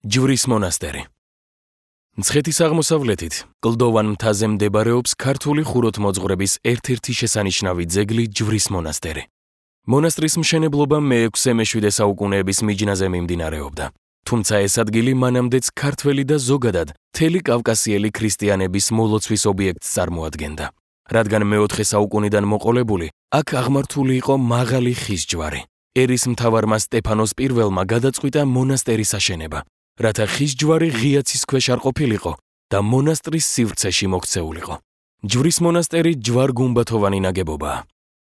ჯვრის მონასტერი. მცხეთის აღმოსავლეთით, კლდოვან მთაზე მდებარეობს ქართული ხუროთმოძღვრების ერთ-ერთი შესანიშნავი ძეგლი ჯვრის მონასტერი. მონასტრის მშენებლობა მე-6-მე-7 საუკუნეების მიჯნაზე მიმდინარეობდა. თუმცა ეს ადგილი მანამდეც ქართველი და ზოგადად მთელი კავკასიელი ქრისტიანების მოლოცვის ობიექტს წარმოადგენდა. რადგან მე-4 საუკუნიდან მოყოლებული, აქ აღმართული იყო მაღალი ხის ჯვარი. ერისმთავარმა სტეფანოს პირველმა გადაწყვიტა მონასტერის აშენება, რათა ხის ჯვარი ღია ცის ქვეშ არ ყოფილიყო და მონასტრის სივრცეში მოქცეულიყო. ჯვრის მონასტერი ჯვარ-გუმბათოვანი ნაგებობაა.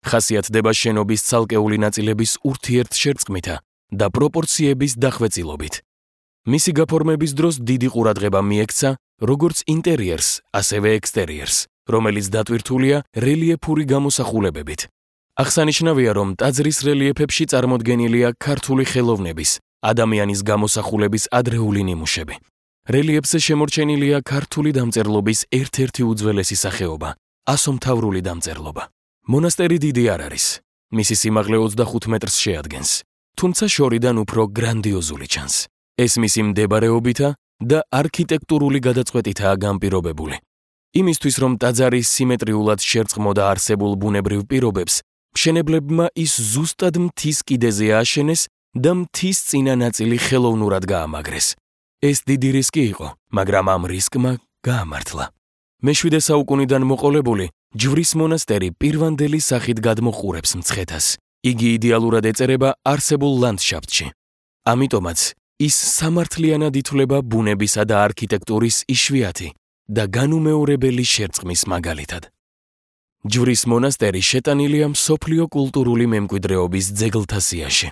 ხასიათდება შენობის ცალკეული ნაწილების ურთიერთშერწყმითა და პროპორციების დახვეწილობით. მისი გაფორმების დროს დიდი ყურადღება მიექცა როგორც ინტერიერს, ასევე ექსტერიერს, რომელიც დატვირთულია რელიეფური გამოსახულებებით. აღსანიშნავია, რომ ტაძრის რელიეფებში წარმოდგენილია ქართული ხელოვნების, ადამიანის გამოსახულების ადრეული ნიმუშები. რელიეფზე შემორჩენილია ქართული დამწერლობის ერთ-ერთი უძველესი სახეობა, ასომთავრული დამწერლობა. მონასტერი დიდი არ არის. მისი სიმაღლე 25 მეტრს შეადგენს, თუმცა შორიდან უფრო გრანდიოზული ჩანს. ეს მისი მდებარეობითა და არქიტექტურული გადაწყვეტითაა განპირობებული. იმისთვის, რომ ტაძარი სიმეტრიულად შერწყმოდა არსებულ ბუნებრივ პირობებს, მშენებლებმა ის ზუსტად მთის კიდეზე ააშენეს და მთის წინა ნაწილი ხელოვნურად გაამაგრეს. ეს დიდი რისკი იყო, მაგრამ ამ რისკმა გაამართლა. მე-7 საუკუნიდან მოყოლებული, ჯვრის მონასტერი პირვანდელი სახით გადმოყურებს მცხეთას. იგი იდეალურად ეწერება არსებულ ლანდშაფტში. ამიტომაც ის სამართლიანად ითვლება ბუნებისა და არქიტექტურის იშვიათი და განუმეორებელი შერწყმის მაგალითად. ჯვრის მონასტერი შეტანილია მსოფლიო კულტურული მემკვიდრეობის ძეგლთა სიაში.